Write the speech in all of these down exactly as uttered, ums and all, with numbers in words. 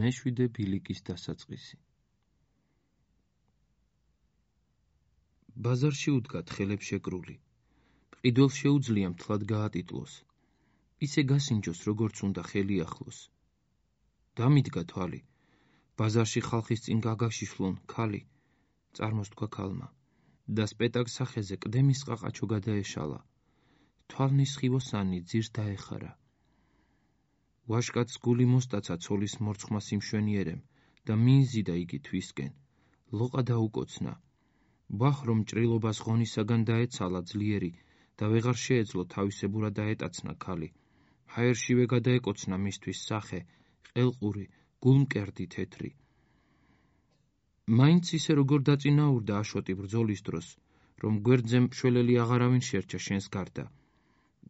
მეშვიდე ბილიკის დასაწყისი. ბაზარში უდგა თხელებს შეკრული. მყიდველს შეუძლია მთლად გაატიტლოს. ისე გასინჯოს, როგორც უნდა ხელი ახლოს. დამიდგა თვალი. ბაზარში ხალხის წინ გაგაშიშლონ ქალი. წარმოსთქვა ქალმა. და სპეტაკს სახეზე ყდემის ყაყაჩო გადაეშალა. თვალნის ხივოსანი ძირს დაეხარა. ვაშკაცს გული მოსტაცა ცოლის მორცხმას იმშვენიერემ და მიიზიდა იგი თვისკენ. ლოყა დაუკოცნა. ბახ რომ ჭრილობას ღონისაგან დაეცალა ძლიერი და ვეღარ შეეძლო თავისებურად დაეტაცნა ქალი. ჰაერშივე გადაეკოცნა მისთვის სახე, ყელყური, გულმკერდი თეთრი. მაინც ისე როგორ დაწინაურდა აშოტი ბრძოლის დროს, რომ გვერდზე მშველელი აღარავინ შერჩა შენს გარდა.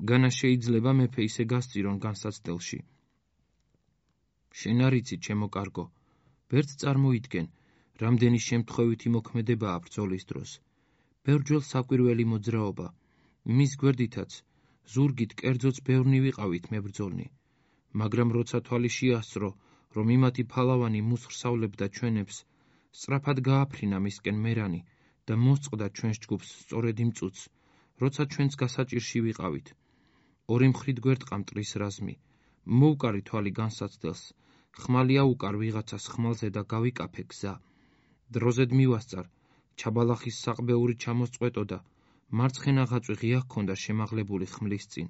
განა შეიძლება მეფე ისე გასწირონ განსაცდელში. შენ არ იცი, ჩემო კარგო, ბერთ წარმოიდგენ, რამდენი შემთხვევითი მოქმედებაა ბრძოლის დროს. ბევრჯერ საკვირველი მოძრაობა, მის გვერდითაც ზურგით კერძოც ბევრნი ვიყავით მებრძოლნი, მაგრამ როცა თვალი შეასწრო, რომ იმათი ფალავანი მუსხრსავლებდა ჩვენებს, სწრაფად გააფრინა მისკენ მერანი და მოსწყდა ჩვენს ჯგუფს სწორედ იმ წუთს, როცა ჩვენც გასაჭირში ვიყავით. ორი მხრით გვერდყა მტრის რაზმი, მოუკარი თვალი განსაცდელს, ხმალი აუკარ ვიღაცას ხმალზე და გავიკაფე გზა. დროზედ მივასწარ, ჩაბალახის საყბეური ჩამოსწყვეტოდა, მარცხენა ღაწვი ღია ჰქონდა შემაღლებული ხმლის წინ.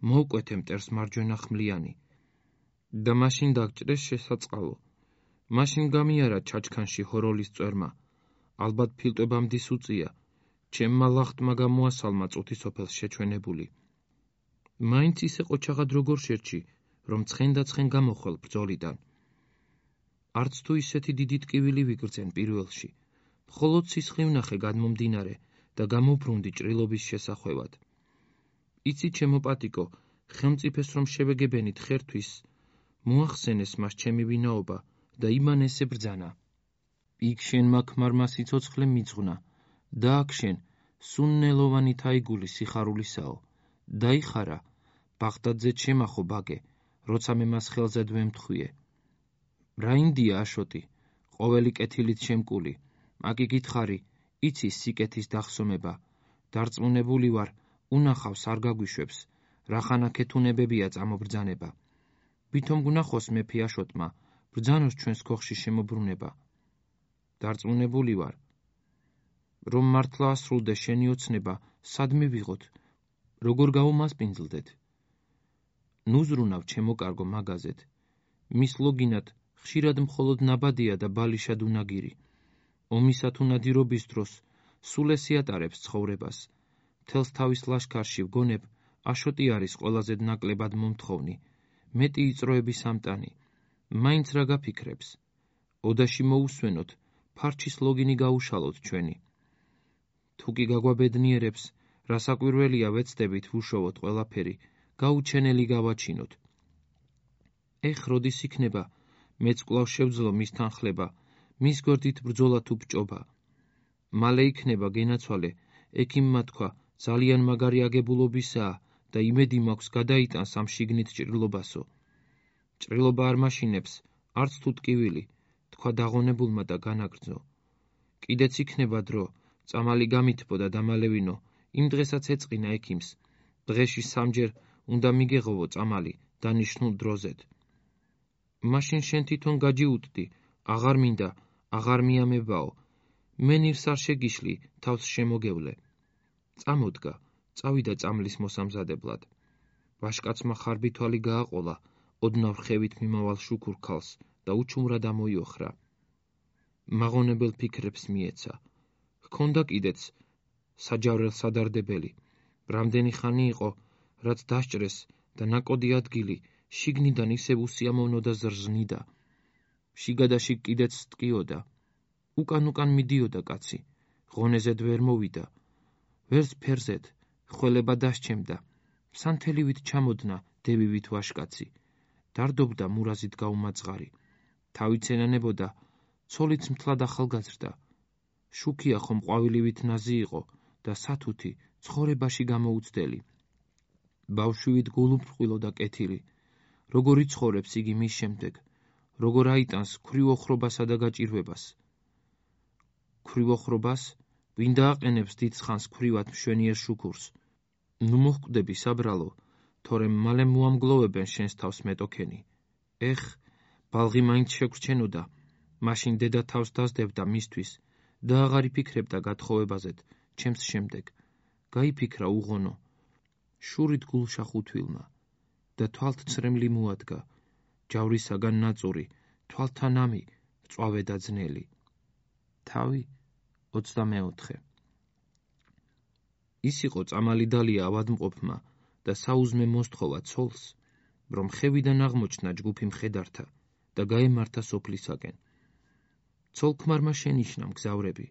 მოუკვეთე მტერს მარჯვენა ხმლიანი. და მაშინ დაგჭრეს შესაწყალო. მაშინ გამიარა ჩაჩქანში ჰოროლის წვერმა. ალბათ ფილტვებამდის უწია, ჩემმა ლახტმა გამოასალმა წუთი სოფელს შეჩვენებული. მაინც ისე ყოჩაღად როგორ შერჩი, რომ ცხენ და ცხენ გამოხვალ ბრძოლიდან. არც თუ ისეთი დიდი ტკივილი ვიგრძენ პირველში, მხოლოდ სისხლი ვნახე გადმომდინარე და გამობრუნდი ჭრილობის შესახვევად. იცი, ჩემო პატიკო, ხელმწიფეს რომ შევეგებენით ხერთვის, მოახსენეს მას ჩემი ვინაობა და იმან ესე ბრძანა. იქ შენ მაქმარმა სიცოცხლე მიძღვნა და აქ შენ სუნნელოვანი თაიგული სიხარულისაო. დაიხარა, ბაღდადზე ჩემახო ბაგე, როცა მე მას ხელზედ ვემთხვიე. რა ინდია აშოტი, ყოველი კეთილით შემკული, აკი გითხარი, იცი სიკეთის დახსომება, დარწმუნებული ვარ, უნახავს არ გაგვიშვებს, რახანა ქეთუნებებია წამობრძანება. ვითომ გვნახოს მეფე აშოტმა, ბრძანოს ჩვენს ქოხში შემობრუნება. დარწმუნებული ვარ, რომ მართლა ასრულდე შენი ოცნება, სად მივიღოთ, როგორ გავუმასპინძლდეთ. ნუზრუნავ ჩემო კარგო მაგაზეთ, მის ლოგინად ხშირად მხოლოდ ნაბადია და ბალიშად უნაგირი. ომისა თუ ნადირობის დროს სულ ეს იატარებს ცხოვრებას. მთელს თავის ლაშქარში ვგონებ, აშოტი არის ყველაზე ნაკლებად მომთხოვნი, მეტი იწროების ამტანი. მაინც რა გაფიქრებს? ოდაში მოусვენოთ, ფარჩის ლოგინი გაუშალოთ ჩვენი. თუ კი გაგვაბედნიერებს, რა საკვირველია ვეცდებით ვუშოვოთ ყველაფერი, გაუჩენელი გავაჩინოთ. ეხ როდის იქნება, მეც კვლავ შევძლო მის თანხლება, მის გვერდით ბრძოლა თუ ბჭობა. მალე იქნება გენაცვალე, ექიმმა თქვა, ძალიან მაგარი აგებულობისაა და იმედი მაქვს გადაიტანს ამ შიგნით ჭრილობასო. ჭრილობა არ მაშინებს, არც თუ ტკივილი, თქვა დაღონებულმა და განაგრძო. კიდეც იქნება დრო, წამალი გამითბოდა დამალევინო, იმ დღესაც ეწყინა ექიმს. დღეში სამჯერ უნდა მიგეღოვო წამალი დანიშნულ დროზედ. მაშინ შენ თვითონ გაჯიუტდი, აღარ მინდა, აღარ მიამებაო. მე ნირს არ შეგიშლი, თავს შემოგევლე. წამოდგა, წავიდა წამლის მოსამზადებლად. ვაშკაცმა ხარბი თვალი გააყოლა, ოდნავ ხევით მიმავალ შუქურ ქალს და უჩუმრად ამოიოხრა. მაღონებელ ფიქრებს მიეცა. ჰქონდა კიდეც საჯავრელ სადარდებელი. რამდენი ხანი იყო, რაც დასჭრეს და ნაკოდი ადგილი შიგნიდან ისევ უსიამოვნო და ზრზნიდა. შიგადაშიგ კიდეც ტკიოდა. უკან-უკან მიდიოდა კაცი, ღონეზედ ვერ მოვიდა. ვერც ფერზედ, ხველება დასჩემდა. სანთელივით ჩამოდნა დევივით ვაშკაცი. დარდობდა მურაზით გაუმაძღარი. თავით ენანებოდა, ცოლიც მთლად ახალგაზრდა. შუქია ხომ ყვავილივით ნაზი იყო და სათუთი ცხოვრებაში გამოუცდელი. ბავშვივით გულუბრყვილო და კეთილი. როგორ იცხოვრებს იგი მის შემდეგ, როგორ აიტანს ქვრივ ოხრობასა და გაჭირვებას. ქვრივ ოხრობას, ვინ დააყენებს დიდ ცხანს ქვრივად მშვენიერ შუქურს. ნუ მოჰკვდები, საბრალო, თორემ მალე მოამგლოვებენ შენს თავს მეტოქენი. ეხ, ბალღი მაინც შეგვრჩენოდა, მაშინ დედა თავს დასდებდა მისთვის და აღარ იფიქრებდა გათხოვებაზედ ჩემს შემდეგ. გაიფიქრა უღონო. შურით გულშა ხუთვილმა და თვალთ ცრემლი მოადგა, ჯავრისაგან ნაწური, თვალთა ნამი, მწვავე და ძნელი. თავი ოცდამეოთხე. ის იყო წამალი დალია ავადმყოფმა და საუზმე მოსთხოვა ცოლს, რომ ხევიდან აღმოჩნდა ჯგუფი მხედართა და გაემართა სოფლისაკენ. ცოლ-ქმარმა შენიშნა მგზავრები,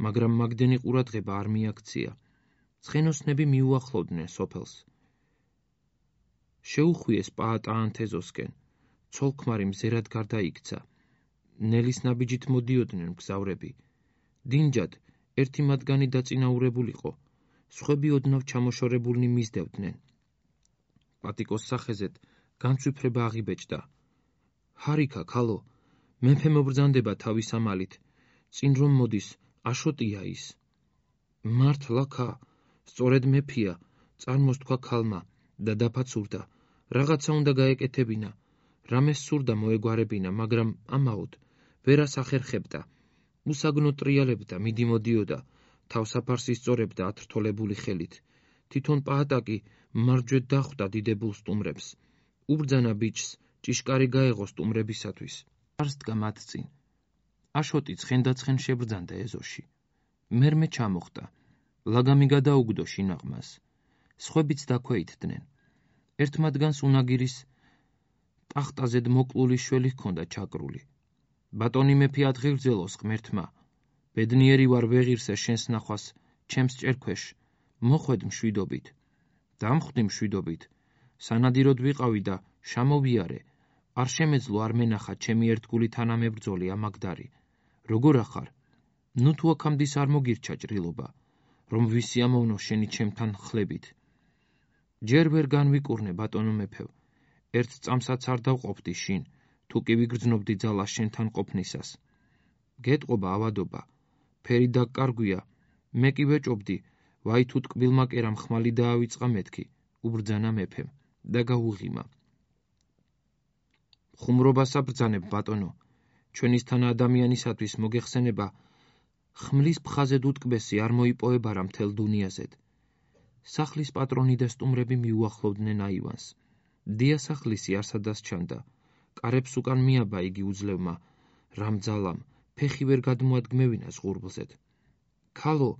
მაგრამ მაგდენი ყურადღება არ მიაქცია. ცხენოსნები მიუახლოვდნენ სოფელს. შეუხვიეს პაატაანთეზოსკენ, ცოლ-ქმარი მზერად გარდაიქცა. ნელის ნაბიჯით მოდიოდნენ მგზავრები. დინჯად ერთი მათგანი დაწინაურებულიყო, სხვები ოდნავ ჩამოშორებულნი მისდევდნენ. პატიკოს სახეზედ განცვიფრება აღიბეჭდა. ჰარიქა, ქალო, მეფე მობრძანდება თავის ამალით, წინ რომ მოდის, აშოტია ის. მართლა ქა, სწორედ მეფია, წარმოს თქვა ქალმა და დაფაცურდა. რაღაცა უნდა გაეკეთებინა, რამეს სურდა მოეგვარებინა, მაგრამ ამაოდ ვერას ახერხებდა. უსაგნო ტრიალებდა, მიდიმოდიოდა, თავსაფარს ისწორებდა ათრთოლებული ხელით. თვითონ პაატაკი მარჯვედ დახვდა დიდებულ სტუმრებს. უბრძანა ბიჭს, ჭიშკარი გაეღო სტუმრებისათვის. არს დგა მათ წინ. აშოტი ცხენდაცხენ შებრძანდა ეზოში. მერმე ჩამოხდა. ლაგამი გადაუგდო შინაყმას. სხვებიც დაქვეითდნენ. ერთ მათგანს უნაგირის ტახტაზედ მოკლული შველი ჰქონდა ჩაკრული. ბატონი მეფე ადგილძელოს ღმერთმა, ბედნიერი ვარ ვეღირსე შენს ნახვას, ჩემს ჭერქვეშ, მოხვედ მშვიდობით. დამხვდი მშვიდობით, სანადიროდ ვიყავი და შამოვიარე, არ შემეძლო არ მენახა ჩემი ერთგული თანამებრძოლი ამაგდარი. როგორ ახარ? ნუ თუ აქამდის არ მოგირჩა ჭრილობა, რომ ვისიამოვნო შენი ჩემთან ხლებით. ჯერ ვერ განვიკურნე, ბატონო მეფევ, ერთ წამსაც არ დავყოფდი შინ, თუ კი ვიგრძნობდი ძალა შენთან ყოფნისას. გეტყობა ავადობა, ფერი დაკარგვია, მე კი ვეჭობდი, ვაი თუ ტკბილმა კერამ ხმალი დაავიწყა მეთქი, უბრძანა მეფემ და გაუღიმა. ხუმრობასა ბრძანებ, ბატონო, ჩვენისთან ადამიანისათვის მოგეხსენება, ხმლის ფხაზედ უტკბესი არ მოიპოვებარა მთელ დუნიაზედ. სახლის პატრონი და სტუმრები მიუახლოვდნენ აივანს. დიასახლისი არსადას ჩანდა. კარებს უკან მიაბა იგი უძლევმა, რამ ძალამ, ფეხი ვერ გადმოადგმევინა ზღურბლზედ. ქალო,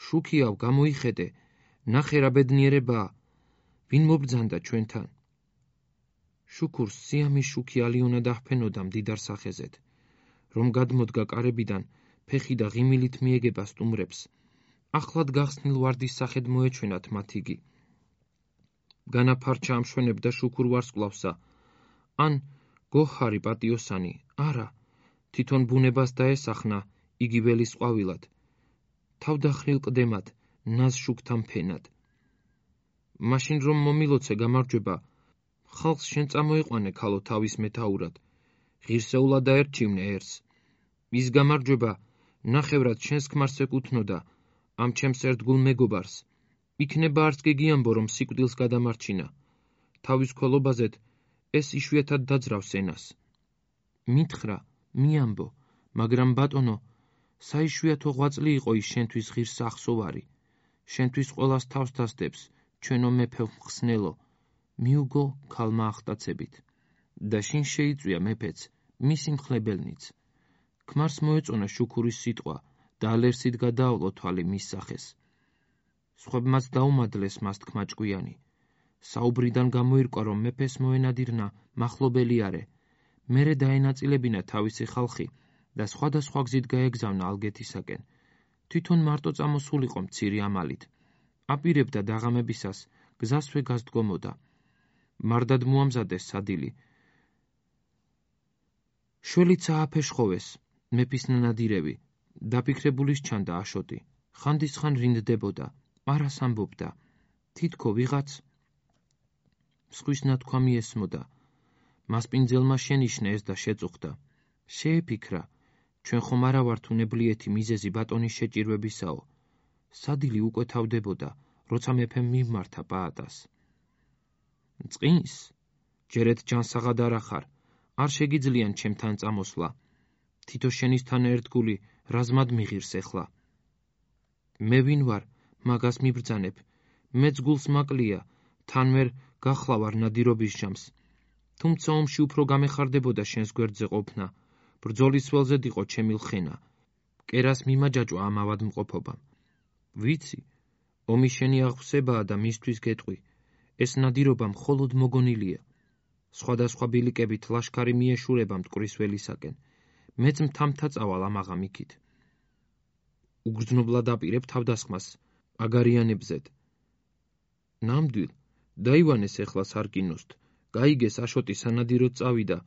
შუქიავ, გამოიხედე, ნახე რა ბედნიერებაა, ვინ მობრძანდა ჩვენთან. შუქურს სიამის შუქი ალიონა დაჰფენოდა მდიდარ სახეზედ, რომ გადმოდგა კარებიდან, ფეხი და ღიმილით მიეგება სტუმრებს. ახლად გახსნილ ვარდის სახედ მოეჩვენათ მათ იგი. განაფარჩა ამშვენებდა შუქურ ვარსკვლავსა, ან გოჰარი პატიოსანი, არა, თვითონ ბუნებას დაესახნა იგი ველის ყვავილად, თავდახრილ ყდემად, ნაზ შუქთან ფენად. მაშინ რომ მომილოცე გამარჯვება, ხალხს შენ წამოიყვანე ქალო თავის მეთაურად, ღირსეულად დაერჩივნე ერს. ის გამარჯვება ნახევრად შენს ქმარს ეკუთვნოდა, ამ ჩემს ერთგულ მეგობარს. იქნება არც კი გიამბო, რომ სიკვდილს გადამარჩინა. თავის ქველობაზედ ეს იშვიათად დაძრავს ენას. მითხრა, მიამბო, მაგრამ ბატონო, საიშვიათო ღვაწლი იყო ის შენთვის ღირსა ახსოვარი. შენთვის ყველას თავს დასდებს, ჩვენო მეფე მხსნელო, მიუგო ქალმა ახტაცებით. და შინ შეიწვია მეფეც, მისი მხლებელნიც. ქმარს მოეწონა შუქურის სიტყვა და ალერსით გადაავლო თვალი მის სახეს. სხვებმაც დაუმადლეს მას თქმა ჭკვიანი. საუბრიდან გამოირკვა, რომ მეფეს მოენადირნა მახლობელი არე, მერე დაენაწილებინა თავისი ხალხი და სხვადასხვა გზით გაეგზავნა ალგეთისაკენ. თვითონ მარტო წამოსულიყო მცირე ამალით. აპირებდა დაღამებისას გზასვე გასდგომოდა. მარდად მოამზადეს სადილი. შველიც ააფეშხოვეს, მეფის ნანადირები, დაფიქრებულის ჩანდა აშოტი. ხანდისხან რინდდებოდა, არას ამბობდა. თითქო ვიღაც მსხვის ნათქვა მიესმოდა, მასპინძელმა შენიშნა ეს და შეწუხდა. შეეფიქრა, ჩვენ ხომ არა ვართ უნებლიეთი მიზეზი ბატონის შეჭირვებისაო. სადილი უკვე თავდებოდა, როცა მეფემ მიმართა პაატას. წყინს, ჯერეთ ჯანსაღად არ ახარ, არ შეგიძლიან ჩემთან წამოსვლა. თითო შენისთან ერთგული რაზმად მიღირს ეხლა. მე ვინ ვარ, მაგას მიბრძანებ, მეც გულს მაკლია, თან ვერ გახლავარ ნადირობის ჟამს. თუმცა ომში უფრო გამეხარდებოდა შენს გვერდზე ყოფნა, ბრძოლის ველზედ იყო ჩემი ლხენა, კერას მიმაჯაჭვა ამ ავადმყოფობამ. ვიცი, ომი შენი აღვსებაა და მისთვის გეტყვი, ეს ნადირობა მხოლოდ მოგონილია. სხვადასხვა ბილიკებით ლაშქარი მიეშურება მტკვრის ველისაკენ, მეც მთამთა წავალ ამაღამ იქით. უგრძნობლად აპირებ თავდასხმას, აგარიანებზედ. ნამდვილ, დაივანეს ეხლა სარკინოსთ, გაიგეს აშოტი სანადიროდ წავიდა,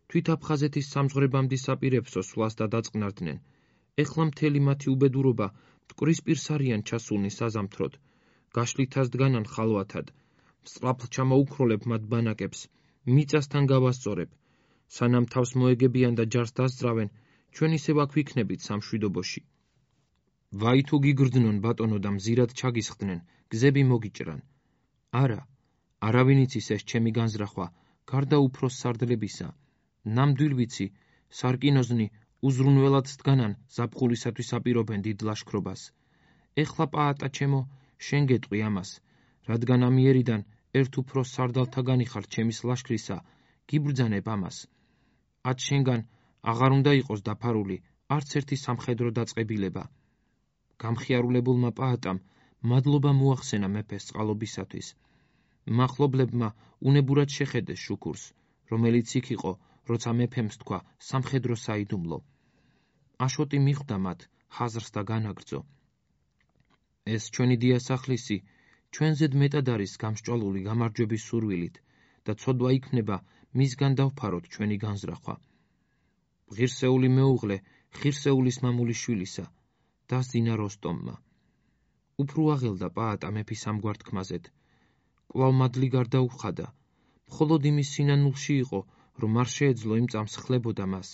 თვით აფხაზეთის სამძღვრებამდე საპირებსო სვლას და დაწყნარდნენ. ეხლა მთელი მათი უბედურობა მტკვრის პირს არიან ჩასულნი საზამთროდ, გაშლითას დგანან ხალვათად, სწრაფლ ჩამოუქროლებ მათ ბანაკებს, მიწასთან გავასწორებ, სანამ თავს მოეგებიან და ჯარს დასძრავენ, ჩვენ ისევ აქ ვიქნებით სამშვიდობოში. ვაი თუ გიგრძნონ ბატონო და მზირად ჩაგისხდნენ, გზები მოგიჭრან. არა, არავინ იცის ეს ჩემი განზრახვა, გარდა უფროს სარდლებისა. ნამდვილ ვიცი, სარკინოზნი უზრუნველად დგანან ზაფხულისათვის აპირობენ დიდ ლაშქრობას. ეხლა პაატა ჩემო, შენ გეტყვი ამას, რადგან ამიერიდან ერთ უფროს სარდალთაგანი ხარ ჩემის ლაშქრისა, გიბრძანებ ამას. ათ შენგან აღარ უნდა იყოს დაფარული არც ერთი სამხედრო დაწყებილება. გამხიარულებულმა პაატამ მადლობა მოახსენა მეფეს წყალობისათვის. მახლობლებმა უნებურად შეხედეს შუქურს, რომელიც იქ იყო, როცა მეფემ თქვა სამხედრო საიდუმლო. აშოტი მიხვდა მათ ხაზრს და განაგრძო. ეს ჩვენი დიასახლისი ჩვენზედ მეტად არის გამსჭვალული გამარჯვების სურვილით და ცოდვა იქმნება მისგან დავფაროთ ჩვენი განზრახვა. ღირსეული მეუღლე ღირსეულის მამულიშვილისა, დასძინა როსტომმა. უფრო აღელდა პაატა მეფის ამგვარ თქმაზედ. კვლავ მადლი გარდაუხადა, მხოლოდ იმის სინანულში იყო, რომ არ შეეძლო იმ წამს ხლებოდა მას.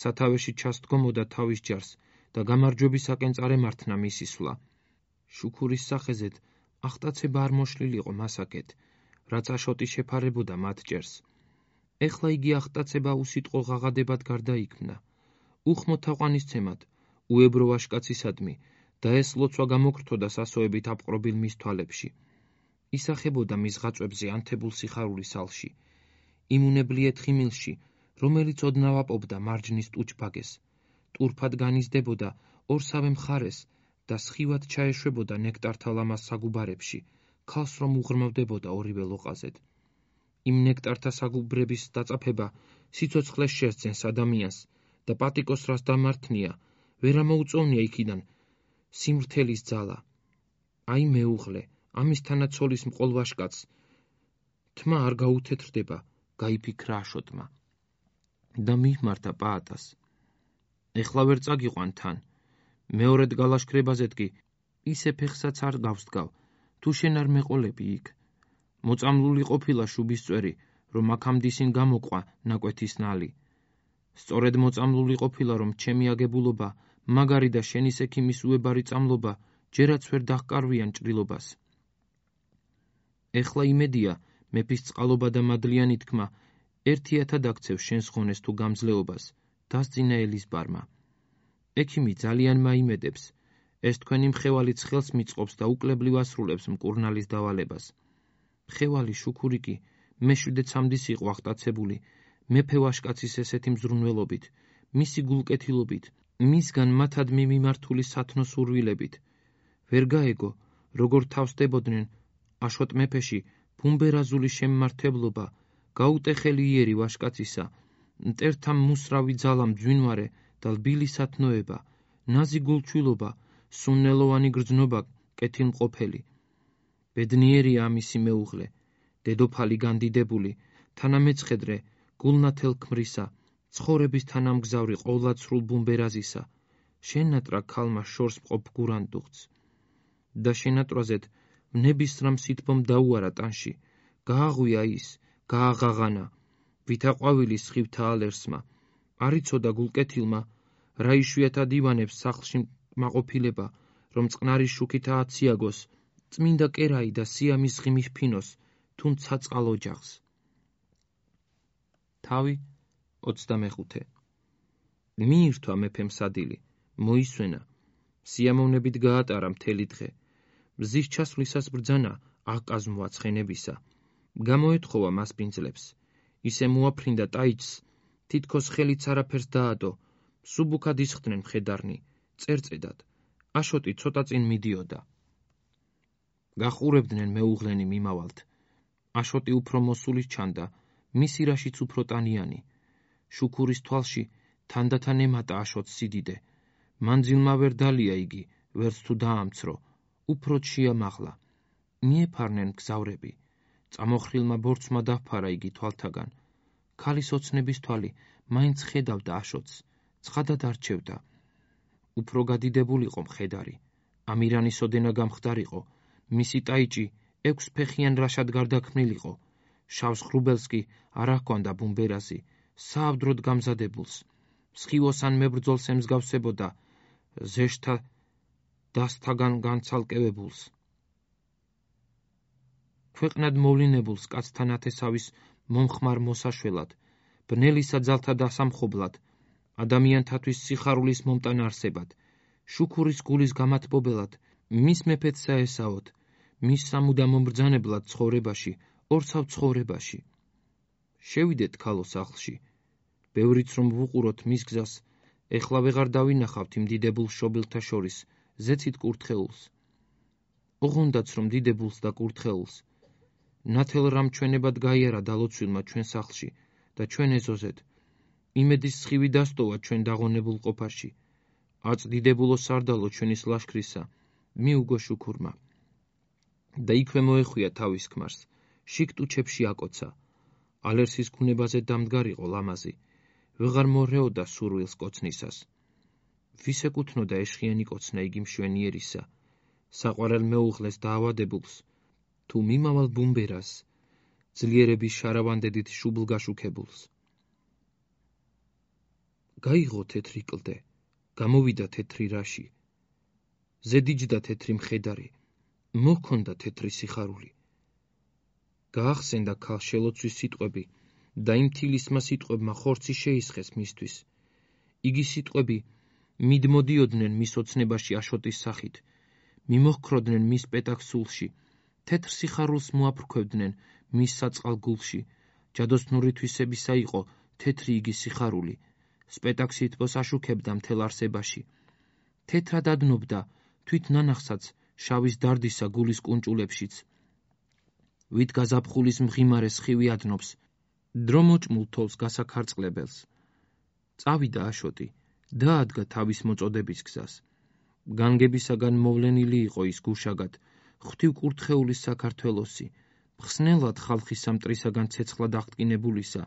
სათავეში ჩასდგომოდა თავის ჯარს და გამარჯვებისაკენ წარემართნა მისი სვლა. შუქურის სახეზედ ახტაცება არ მოშლილიყო მასაკეთ, რაც აშოტი შეფარებოდა მათ ჭერს. ეხლა იგი ახტაცება უსიტყვო ღაღადებად გარდაიქმნა. უხმო თაყვანისცემად, უებრო ვაშკაცისადმი და ეს ლოცვა გამოგრთოდა სასოებით აპყრობილ მის თვალებში. ისახებოდა მის ღაწვებზე ანთებულ სიხარულის ალში, იმუნებლიეთ ხიმილში, რომელიც ოდნავ აპობდა მარჯნის ტუჩბაგეს, ტურფად განიზდებოდა ორსავე მხარეს და სხივად ჩაეშვებოდა ნექტართა ლამაზ საგუბარებში, ქალს რომ უღრმავდებოდა ორივე ლოყაზედ. იმ ნექტართა საგუბრების დაწაფება სიცოცხლეს შესძენს ადამიანს და პატიკოს რას დამართნია, ვერ ამოუწოვნია იქიდან სიმრთელის ძალა. აი მეუღლე, ამისთანაც ცოლის მყოლ ვაშკაც, თმა არ გაუთეთრდება, გაიფიქრა აშოტმა. და მიმართა პაატას. ეხლა ვერ წაგიყვან თან, მეორედ გალაშქრებაზეთ კი ისე ფეხსაც არ გავსდგავ, თუ შენ არ მეყოლები იქ. მოწამლული ყოფილა შუბისწვერი, რომ აქამდე ისინ გამოყვა ნაკვეთის ნალი. სწორედ მოწამლული ყოფილა, რომ ჩემი აგებულობა, მაგარი და შენის ექიმის უებარი წამლობა, ჯერაც ვერ დაჰკარვიან ჭრილობას. ეხლა იმედია, მეფის წყალობა და მადლიანი თქმა, ერთიათად აქცევ შენს ღონეს თუ გამძლეობას, დასძინა ელიზბარმა. ექიმი ძალიან მაიმედებს, ეს თქვენი მხევალი ცხელს მიწყობს და უკლებლივ ასრულებს მკურნალის დავალებას. მხევალი შუქური კი მეშვიდე ცამდის იყო ახტაცებული, მეფე ვაშკაცის ესეთი მზრუნველობით, მისი გულკეთილობით, მისგან მათადმი მიმართული სათნო სურვილებით. ვერ გაეგო, როგორ თავსდებოდნენ აშოტ მეფეში ბუმბერაზული შემმართებლობა, გაუტეხელი იერი ვაშკაცისა, მტერთა მუსრავი ძალა მძვინვარე და ლბილი სათნოება, ნაზი გულჩვილობა, სუნნელოვანი გრძნობა, კეთილმყოფელი. ბედნიერია ამისი მეუღლე, დედოფალი განდიდებული, თანამეცხედრე, გულნათელ ქმრისა, ცხოვრების თანამგზავრი ყოვლად სრულ ბუმბერაზისა, შენატრა ქალმა შორს მყოფ გურანდუხს. და შენატრაზედ ნებისრამ სითბომ დაუარა ტანში, გააღვია ის, გააღაღანა, ვითაყვავილის სხივთა ალერსმა, არ იცოდა გულკეთილმა, რა იშვიათად ივანებს სახლში მაყოფილება, რომ წყნარი შუქით ააციაგოს, წმინდა კერაი და სიამის ღიმი ჰფინოს, თუნ ცაწყალ ოჯახს. თავი ოცდამეხუთე. მიირთვა მეფემ სადილი, მოისვენა, სიამოვნებით გაატარა მთელი დღე. მზის ჩასვლისას ბრძანა აკაზმვა ცხენებისა. გამოეთხოვა მასპინძლებს. ისე მოაფრინდა ტაიჩს, თითქოს ხელიც არაფერს დაადო, სუბუქად ისხდნენ მხედარნი, წერწედად. აშოტი ცოტა წინ მიდიოდა. გახურებდნენ მეუღლენი მიმავალთ. აშოტი უფრო მოსული ჩანდა, მისი რაშიც უფრო ტანიანი. შუქურის თვალში თანდათან ემატა აშოტს სიდიდე. მანძილმა ვერ დალია იგი, ვერც თუ დაამცრო, უფრო შეამაღლა. მიეფარნენ გზავრები. წამოხრილმა ბორცმა დაფარა იგი თვალთაგან. ქალის ოცნების თვალი მაინც ხედავდა აშოტს, ცხადად არჩევდა. უფრო გადიდებულიყო მხედარი. ამირანის ოდენა გამხდარიყო, მისი ტაიჭი ექვსფეხიან რაშად გარდაქმნილიყო. შავს ღრუბელს კი არ აჰქვანდა ბუმბერაზი, საავდროდ გამზადებულს. სხივოსან მებრძოლს ემსგავსებოდა ზეშთა დასთაგან განცალკევებულს. ქვეყნად მოვლინებულს კაცთან ათესავის მომხმარ მოსაშველად, ბნელისა ძალთა დასამხობლად, ადამიანთათვის სიხარულის მომტან არსებად, შუქურის გულის გამათბობელად, მის მეფეც საესაოდ, მის სამუდამო მბრძანებლად ცხოვრებაში, ორცავ ცხოვრებაში. შევიდეთ ქალო სახლში, ბევრიც რომ ვუყუროთ მის გზას, ეხლა ვეღარ დავინახავთ იმ დიდებულ შობილთა შორის, ზეცით კურთხეულს. ოღონდაც რომ დიდებულს და კურთხეულს, ნათელ რამ ჩვენებად გაიარა დალოცვილმა ჩვენ სახლში და ჩვენ ეზოზეთ. იმედის სხივი დასტოვა ჩვენ დაღონებულ ყოფაში. აწ-დიდებულო სარდალო ჩვენის ლაშქრისა, მიუგო შუქურმა. და იქვე მოეხვია თავის ქმარს, შიგ-ტუჩებში აკოცა. ალერსის გუნებაზე დამდგარიყო ლამაზი, ვეღარ მორეოდა სურვილს კოცნისას. ვის ეკუთვნოდა ეშხიანი კოცნა იგი მშვენიერისა, საყვარელ მეუღლეს დაავადებულს, თუ მიმავალ ბუმბერას, ძლიერების შარავანდედით შუბლგაშუქებულს. გაიღო თეთრი კლდე, გამოვიდა თეთრი რაში, ზედიჯდა თეთრი მხედარი, მოჰქონდა თეთრი სიხარული. გაახსენდა ქალ შელოცვის სიტყვები და იმ თილისმა სიტყვებმა ხორცი შეისხეს მისთვის. იგი სიტყვები მიდმოდიოდნენ მის ოცნებაში აშოტის სახით, მიმოჰქროდნენ მის პეტაკს სულში, თეთრ სიხარულს მოაფრქვევდნენ მის საწყალ გულში. ჯადოსნური თვისებისა იყო თეთრი იგი სიხარული, სპეტაკს სითბოს აშუქებდა მთელ არსებაში. თეთრად ადნობდა თვით ნანახსაც შავის დარდისა გულის კუნჭულებშიც. ვით გაზაფხულის მღიმარე სხივი ადნობს, დრო მოჭმულ თოვს გასაქარწყლებელს. წავიდა აშოტი, დაადგა თავის მოწოდების გზას. განგებისაგან მოვლენილი იყო ის გუშაგად, ღვთივ კურთხეულის საქართველოსი, მხსნელად ხალხის სამტრისაგან ცეცხლად აღტკინებულისა,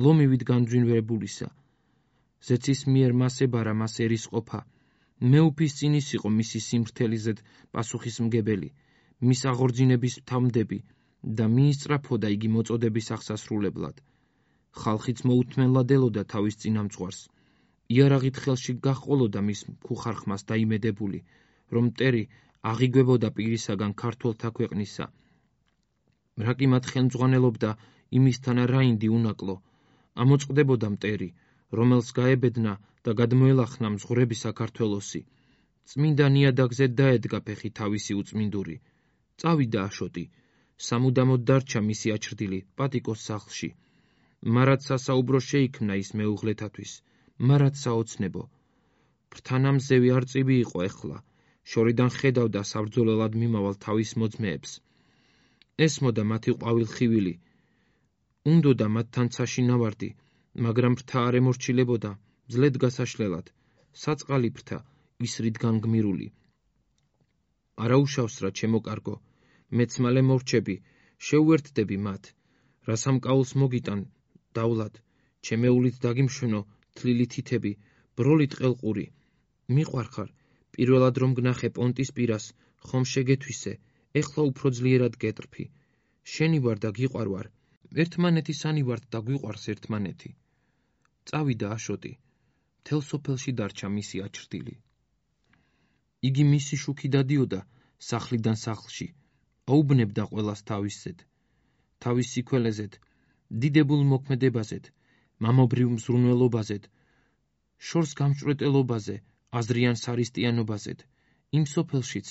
ლომივით განძვინვებულისა. ზეცის მიერ მას ებარა მას ერის ყოფა, მეუფის წინის იყო მისი სიმრთელიზედ პასუხისმგებელი, მის აღორძინების თავმდები და მიისწრაფოდა იგი მოწოდების აღსასრულებლად. ხალხიც მოუთმენლად ელოდა თავის წინამძღვარს. იარაღით ხელში გაჰყოლოდა მის მქუხარხმას დაიმედებული, რომ მტერი აღიგვებოდა პირისაგან ქართველთა ქვეყნისა. რაკიმად ხელმძღვანელობდა იმისთან რაინდი უნაკლო, ამოწყდებოდა მტერი, რომელს გაებედნა და გადმოელახნა მზღვრები საქართველოსი. წმინდა ნიადაგზე დაედგა ფეხი თავისი უწმინდური. წავიდა აშოტი, სამუდამოდ დარჩა მისი აჩრდილი პატიკოს სახლში. მარად სასაუბრო შეიქმნა ის მეუღლეთათვის, მარად საოცნებო. ფრთანამზევი არწივი იყო ეხლა, შორიდან ხედავდა საბრძოლელად მიმავალ თავის მოძმეებს. ესმოდა მათი ყვავილხივილი, უნდოდა მათთან ცაში ნავარდი, მაგრამ ფრთა არ ემორჩილებოდა, ძლედ გასაშლელად, საწყალი ფრთა, ისრით განგმირული. არაუშავს რა ჩემო კარგო, მეც მალე მორჩები, შეუერთდები მათ, რა სამკაულს მოგიტან, დავლად, ჩემეულით დაგიმშვენო, თლილი თითები, ბროლით ყელყური. მიყვარხარ, პირველად რომ გნახე პონტის პირას, ხომ შეგეთვისე, ეხლა უფრო ძლიერად გეტრფი. შენი ვარ და გიყვარვარ, ერთმანეთისანი ვართ და გვიყვარს ერთმანეთი. წავიდა აშოტი, მთელ სოფელში დარჩა მისი აჩრდილი. იგი მისი შუქი დადიოდა სახლიდან სახლში, აუბნებდა ყველას თავისზედ, თავის სიქველეზედ, დიდებულ მოქმედებაზედ, მამობრივ მზრუნველობაზედ, შორს გამჭვრეტელობაზე, აზრიან სარისტიანობაზედ, იმ სოფელშიც,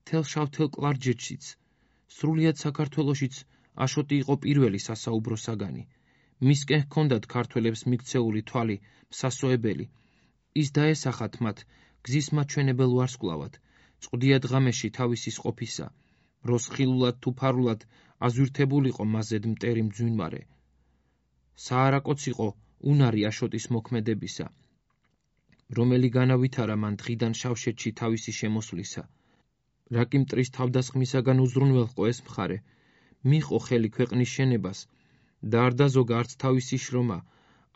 მთელ შავთელ კლარჯეთშიც, სრულიად საქართველოშიც აშოტი იყო პირველი სასაუბრო საგანი. მისკენ ჰქონდათ ქართველებს მიქცეული თვალი, მსასოებელი. ის დაესახათ მათ გზის მაჩვენებელ ვარსკვლავად, წყვდია დღამეში თავისის ყოფისა, როს ხილულად თუ ფარულად აზვირთებულიყო მასზედ მტერი მძვინვარე. საარაკოც იყო უნარი აშოტის მოქმედებისა, რომელი განავითარა მან დღიდან შავშეთში თავისი შემოსვლისა. რაკი მტრის თავდასხმისაგან უზრუნველყო ეს მხარე, მიყო ხელი ქვეყნის შენებას და არ დაზოგა არც თავისი შრომა,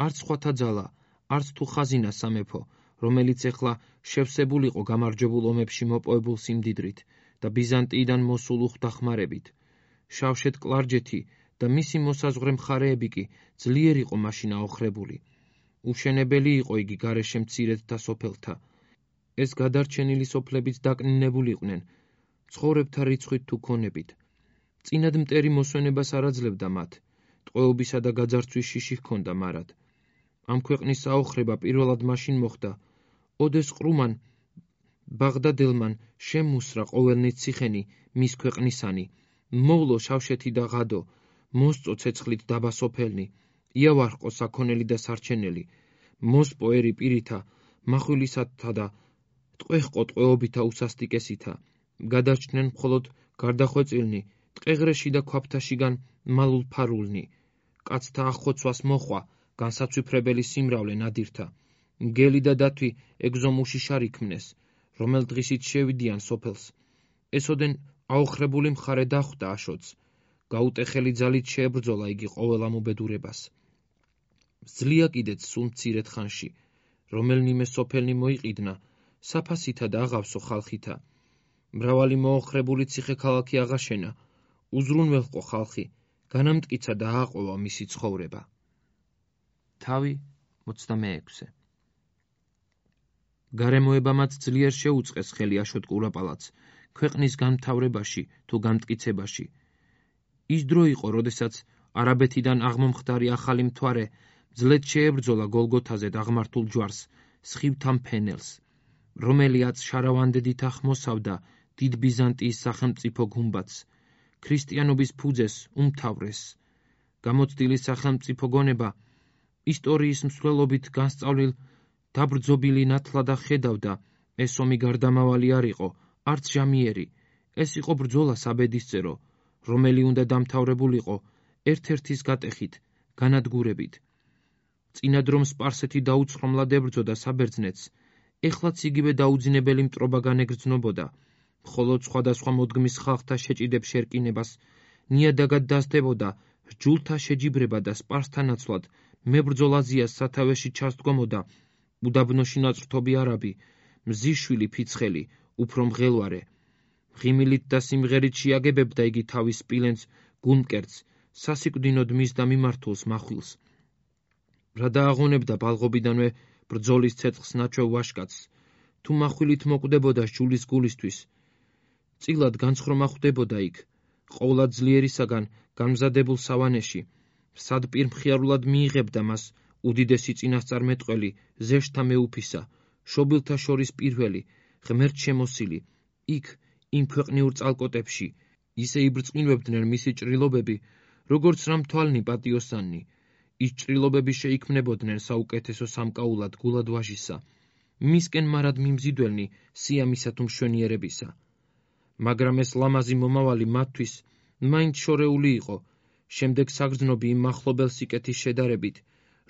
არც სხვათა ძალა, არც თუ ხაზინა სამეფო, რომელიც ეხლა შევსებულიყო გამარჯვებულ ომებში მოპოვებულ სიმდიდრით და ბიზანტიიდან მოსულ უხდახმარებით. შავშეთ კლარჯეთი და მისი მოსაზღვრე მხარეები კი ძლიერ იყო მაშინ აოხრებული. უშენებელი იყო იგი გარეშე მცირედთა სოფელთა. ეს გადარჩენილი სოფლებიც დაკნინებულიყვნენ, ცხოვრებთა რიცხვით თუ ქონებით. წინად მტერი მოსვენებას არ აძლევდა მათ, ტყვეობისა და გაძარცვის შიში ჰქონდა მარად. ამ ქვეყნის აოხრება პირველად მაშინ მოხდა, ოდეს ყრუმან ბაღდადილმან შემუსრა ყოველნი ციხენი მის ქვეყნისანი, მოვლო შავშეთი და ღადო, მოსწო ცეცხლით დაბა სოფელნი, იავარყო საქონელი და სარჩენელი, მოსპო ერი პირითა, მახვილისათა და ტყვეხყო ტყვეობითა უსასტიკესითა, გადარჩნენ მხოლოდ გარდახვეწილნი, ტყეღრეში და ქვაბთაშიგან მალულ ფარულნი, კაცთა ახოცვას მოხვა, განსაცვიფრებელი სიმრავლე ნადირთა, მგელი და დათვი ეგზომუში შარიქმნეს, რომელ დღისით შევიდიან სოფელს. ესოდენ აოხრებული მხარე დახვდა აშოტს, გაუტეხელი ძალით შეებრძოლა იგი ყოველ ამ უბედურებას. ძლია კიდეც სულ მცირედ ხანში, რომელნიმე სოფელნი მოიყიდნა, საფასითა და აღავსო ხალხითა. მრავალი მოოხრებული ციხე-ქალაქი აღაშენა, უზრუნველყო ხალხი, განამტკიცა და ააყოლა მისი ცხოვრება. თავი ოცდამეექვსე. გარემოებამაც ძლიერ შეუწყეს ხელი აშოტ კურაპალატს, ქვეყნის განმთავრებაში თუ გამტკიცებაში. ის დრო იყო, როდესაც არაბეთიდან აღმომხდარი ახალი მთვარე ძლედ შეებრძოლა გოლგოთაზე დაღმართულ ჯვარს, სხივთა მფენელს, რომელიაც შარავანდედით ახმოსავდა დიდ ბიზანტიის სახელმწიფო გუმბათს, ქრისტიანობის ფუძეს უმთავრეს. გამოცდილი სახელმწიფო გონება ისტორიის მსვლელობით განსწავლილ დაბრძობილი ნათლად ხედავდა, ეს ომი გარდამავალი არ იყო, არც ჟამიერი, ეს იყო ბრძოლა საბედისწერო, რომელი უნდა დამთავრებულიყო ერთ-ერთის გატეხით, განადგურებით. წინად რომ სპარსეთი დაუცხრომლად ებრძოდა საბერძნეთს, ეხლაც იგივე დაუძინებელი მტრობა განეგრძნობოდა, მხოლოდ სხვადასხვა მოდგმის ხალხთა შეჭიდებ შერკინებას ნიადაგად დასდებოდა რჯულთა შეჯიბრება და სპარსთა ნაცვლად მებრძოლ აზიას სათავეში ჩასდგომოდა უდაბნოში ნაწრთობი არაბი, მზიშვილი ფიცხელი, უფრო მღელვარე. ღიმილით და სიმღერით შეაგებებდა იგი თავის სპილენძ გულმკერდს, სასიკვდინოდ მის და მიმართულს მახვილს. რა დააღონებდა ბალღობიდანვე ბრძოლის ცეცხლს ნაჩვევ ვაშკაცს, თუ მახვილით მოკვდებოდა სჯულის გულისთვის. წილად განცხრომა ხვდებოდა იქ, ყოვლად ძლიერისაგან გამზადებულ სავანეში, სადპირმხიარულად მიიღებდა მას უდიდესი წინასწარმეტყველი, ზეშთა მეუფისა, შობილთა შორის პირველი, ღმერთ შემოსილი, იქ, იმ ქვეყნიურ წალკოტებში, ისე იბრძყინვებდნენ მისი ჭრილობები, როგორც რამთვალნი პატიოსანი. ის ჭრილობები შეიქმნებოდნენ საუკეთესო სამკაულად გულად ვაჟისა, მისკენ მარად მიმზიდველნი სიამისა თუ მშვენიერებისა. მაგრამ ეს ლამაზი მომავალი მათთვის მაინც შორეული იყო, შემდეგ საგრძნობი იმ მახლობელ სიკეთის შედარებით,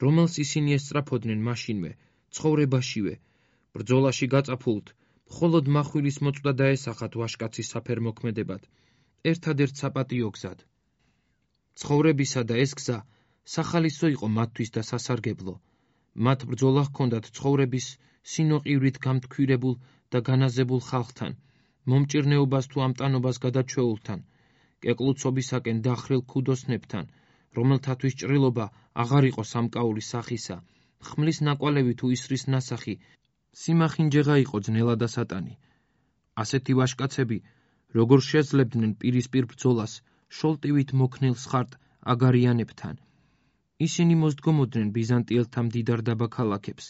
რომელს ისინი ესწრაფოდნენ მაშინვე, ცხოვრებაშივე, ბრძოლაში გაწაფულთ, მხოლოდ მახვილის მოწვდა დაესახათ ვაშკაცის საფერმოქმედებად, ერთადერთ საპატიო გზად. ცხოვრებისა და ეს გზა სახალისო იყო მათთვის და სასარგებლო. მათ ბრძოლა ჰქონდათ ცხოვრების სინოყივრით გამთქვირებულ და განაზებულ ხალხთან, მომჭირნეობას თუ ამტანობას გადაჩვეულთან, კეკლუცობისაკენ დახრილ ქუდოსნებთან, რომელთათვის ჭრილობა აღარ იყო სამკაულის სახისა, ხმლის ნაკვალევი თუ ისრის ნასახი, სიმახინჯეღა იყო ძნელა და სატანი. ასეთი ვაჟკაცები, როგორ შეძლებდნენ პირისპირ ბრძოლას შოლტივით მოქნილ სხარტ აგარიანებთან. ისინი მოსდგომოდნენ ბიზანტიელთა მდიდარ დაბაქალაქებს,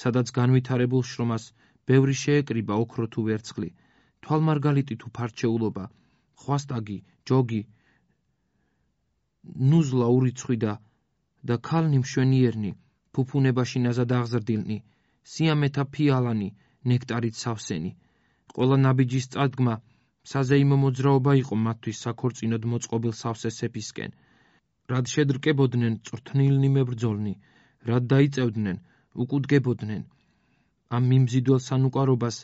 სადაც განვითარებულ შრომას ბევრი შეეკრიბა ოქრო თუ ვერცხლი, თვალმარგალიტი თუ ფარჩეულობა, ხვასტაგი, ჯოგი, ნუზლა ურიცხვიდა და ქალნი მშვენიერნი, ფუფუნებაში ნაზად აღზრდილნი, სიამეთა ფიალანი, ნექტარით სავსენი. ყველა ნაბიჯის წადგმა საზეიმო მოძრაობა იყო მათთვის საქორწინოდ მოწყობილ სავსე სეფისკენ. რად შედრკებოდნენ წვრთნილნი მებრძოლნი, რად დაიწევდნენ, უკუდგებოდნენ. ამ მიმზიდველ სანუკვარობას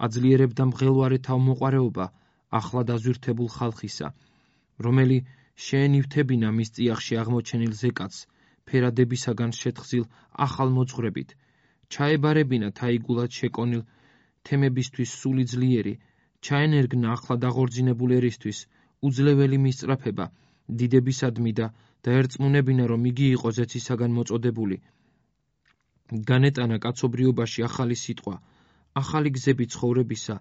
აძლიერებდა მღელვარე თავმოყარეობა ახლა დაზვირთებულ ხალხისა, რომელი შეენივთებინა მის წიაღში აღმოჩენილ ზეკაც ფერადებისაგან შეთხზილ ახალ მოძღვრებით, ჩაებარებინა თაიგულად შეკონილ თემებისთვის სული ძლიერი, ჩაენერგნა ახლა დაღორძინებულ ერისთვის უძლეველი მისწრაფება დიდებისადმი და დაერწმუნებინა, რომ იგი იყო ზეცისაგან მოწოდებული. განეტანა კაცობრიობაში ახალი სიტყვა, ახალი გზები ცხოვრებისა,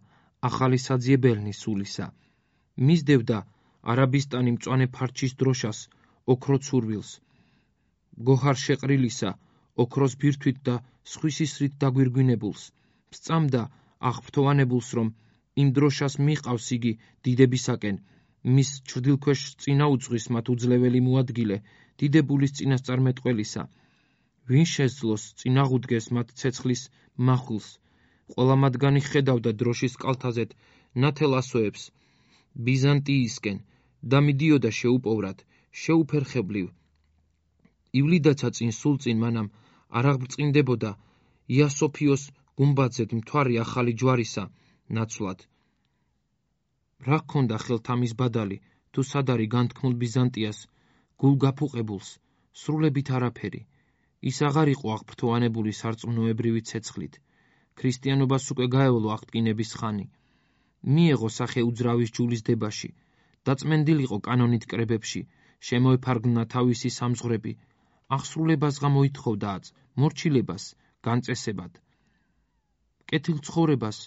ახალი საძიებელნი სულისა. მისდევდა არაბისტანი მწვანე ფარჩის დროშას, ოქრო ცურვილს, გოჰარ შეყრილისა, ოქროს ბირთვით და სხვის ისრით დაგვირგვინებულს, სწამდა აღფრთოვანებულს, რომ იმ დროშას მიყავს იგი დიდებისაკენ, მის ჩრდილქვეშ წინა უძღვის მათ უძლეველი მოადგილე, დიდებულის წინასწარმეტყველისა. ვინ შესძლოს წინაღუდგეს მათ ცეცხლის მახვილს, ყველა მათგანი ხედავდა დროშის კალთაზეთ ნათელ ასოებს ბიზანტიისკენ და მიდიოდა შეუპოვრად, შეუფერხებლივ. ივლიდაცა წინ სულ წინ მანამ არ აღბრწყინდებოდა იასოფიოს გუმბათზედ მთვარი ახალი ჯვარისა ნაცვლად. რა ჰქონდა ხელთ ამის ბადალი, თუ სადარი განთქმულ ბიზანტიას, გულგაფუყებულს, სრულებით არაფერი. ის აღარ იყო აღფრთოვანებული სარწმუნოებრივი ცეცხლით. ქრისტიანობას უკვე გაევლო აღტკინების ხანი. მიეღო სახე უძრავის ჯულის დებაში, დაწმენდილიყო კანონით კრებებში, შემოეფარგლნა თავისი სამზღვრები, აღსრულებას გამოითხოვდააც, მორჩილებას, განწესებად. კეთილ ცხოვრებას,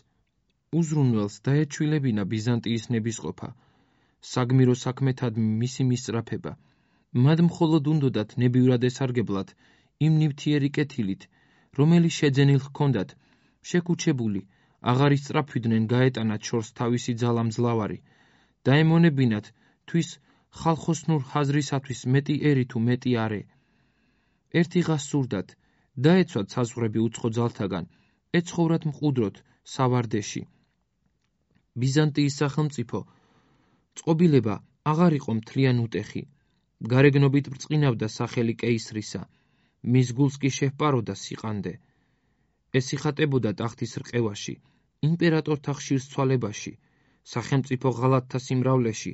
უზრუნველს დაეჩვილებინა ბიზანტიის ნებისყოფა, საგმირო საქმეთად მისი მისწრაფება. მათ მხოლოდ უნდოდათ ნებივრად ესარგებლად იმ ნივთიერი კეთილით, რომელი შეძენილ ჰქონდათ, შეკუჩებული, აღარ ისწრაფვიდნენ გაეტანათ შორს თავისი ძალა მძლავარი, დაემონებინათ თვის ხალხოსნურ ხაზრისათვის მეტი ერი თუ მეტი არე. ერთიღას სურდათ, დაეცვათ საზღვრები უცხო ძალთაგან, ეცხოვრათ მყუდროთ სავარდეში. ბიზანტიის სახელმწიფო წყობილება აღარ იყო მთლიან უტეხი, გარეგნობით ბრწყინავდა სახელი კეისრისა, მის გულს კი შეჰპაროდა სიყანდე. ესიხატებოდა ტახტის რყევაში, იმპერატორთა ხშირ ცვალებაში, სახელმწიფო ღალატთა სიმრავლეში,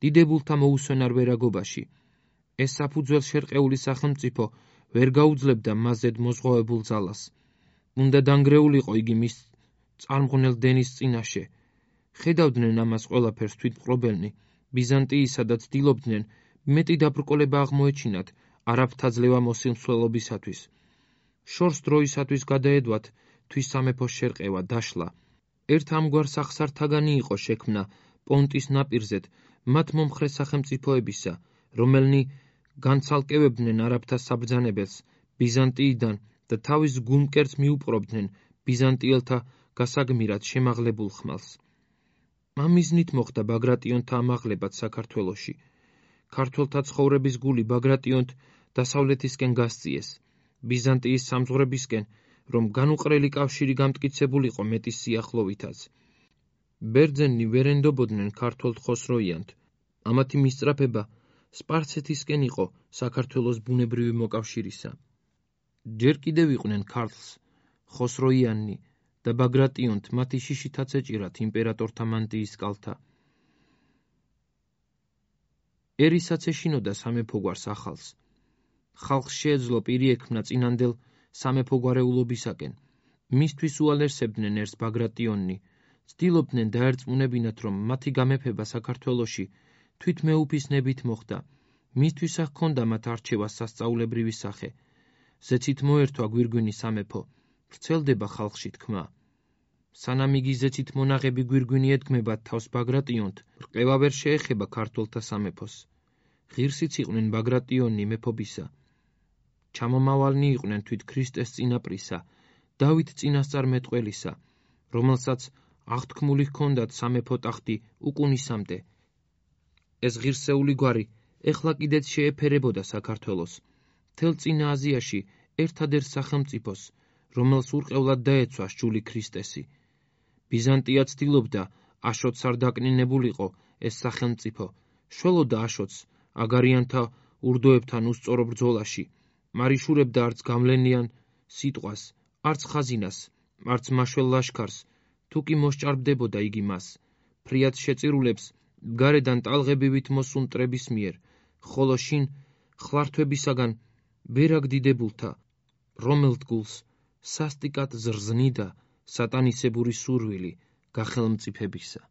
დიდებულთა მოუსვენარ ვერაგობაში. ეს საფუძველ შერყეული სახელმწიფო ვერ გაუძლებდა მასზედ მოზღვავებულ ძალას. უნდა დანგრეულიყო იგი მის წარმღვნელ დენის წინაშე. ხედავდნენ ამას ყველაფერს თვითმპყრობელნი ბიზანტიისა და ცდილობდნენ მეტი დაბრკოლება აღმოეჩინათ არაბთა ძლევა მოსილმსვლელობისათვის. შორს დროისათვის გადაედვათ თვის სამეფოს შერყევა დაშლა. ერთ ამგვარ სახსართაგანი იყო შექმნა პონტის ნაპირზეთ მათ მომხრე სახელმწიფოებისა, რომელნი განცალკევებდნენ არაბთა საბრძანებელს ბიზანტიიდან და თავის გულმკერდს მიუპყრობდნენ ბიზანტიელთა გასაგმირად შემაღლებულ ხმალს. ამ მიზნით მოხდა ბაგრატიონთა ამაღლებაც საქართველოში. ქართველთა ცხოვრების გული ბაგრატიონთ დასავლეთისკენ გასწიეს, ბიზანტიის სამზღვრებისკენ, რომ განუყრელი კავშირი გამტკიცებულიყო მეტის სიახლოვითაც. ბერძენნი ვერ ენდობოდნენ ქართველთ ხოსროიანთ. ამათი მისწრაფება სპარსეთისკენ იყო საქართველოს ბუნებრივი მოკავშირისა. ჯერ კიდევ იყვნენ ქართლს, ხოსროიანნი და ბაგრატიონთ მათი შიშითაც ეჭირათ იმპერატორთა მანტიის კალთა. ერისაც ეშინოდა სამეფოგვარს ახალს. ხალხს შეეძლო პირი ექმნა წინანდელ სამეფოგვარეულობისაკენ. მისთვის უალერსებდნენ ერს ბაგრატიონნი, ცდილობდნენ დაერწმუნებინათ, რომ მათი გამეფება საქართველოში თვით მეუფის ნებით მოხდა, მისთვის ჰქონდა მათ არჩევას სასწაულებრივი სახე. ზეცით მოერთვა გვირგვინი სამეფო, ვრცელდება ხალხში თქმა. სანამ იგი ზეცით მონაღები გვირგვინი ედგმებათ თავს ბაგრატიონთ, რყევა ვერ შეეხება ქართველთა სამეფოს. ღირსიც იყვნენ ბაგრატიონი მეფობისა. ჩამომავალნი იყვნენ თვით ქრისტეს წინაპრისა, დავით წინასწარმეტყველისა, რომელსაც აღთქმული ჰქონდათ სამეფო ტახტი უკუნისამდე. ეს ღირსეული გვარი ეხლა კიდეც შეეფერებოდა საქართველოს, მთელ წინა აზიაში ერთადერთ სახელმწიფოს, რომელს ურყევლად დაეცვა სჯული ქრისტესი. ბიზანტია ცდილობდა აშოტს არ დაკნინებულიყო ეს სახელმწიფო, შველოდა აშოტს აგარიანთა ურდოებთან უსწორო ბრძოლაში, მარიშურებდა არც გამლენიან სიტყვას, არც ხაზინას, არც მაშველ ლაშქარს, თუ კი მოსჭარბდებოდა იგი მას, ფრიად შეწირულებს გარედან ტალღებივით მოსულ მტრების მიერ, ხოლო შინ ხლართვებისაგან ბერაგ დიდებულთა, რომელ თგულს სასტიკად ზრზნიდა სატანისებური სურვილი გახელმწიფებისა.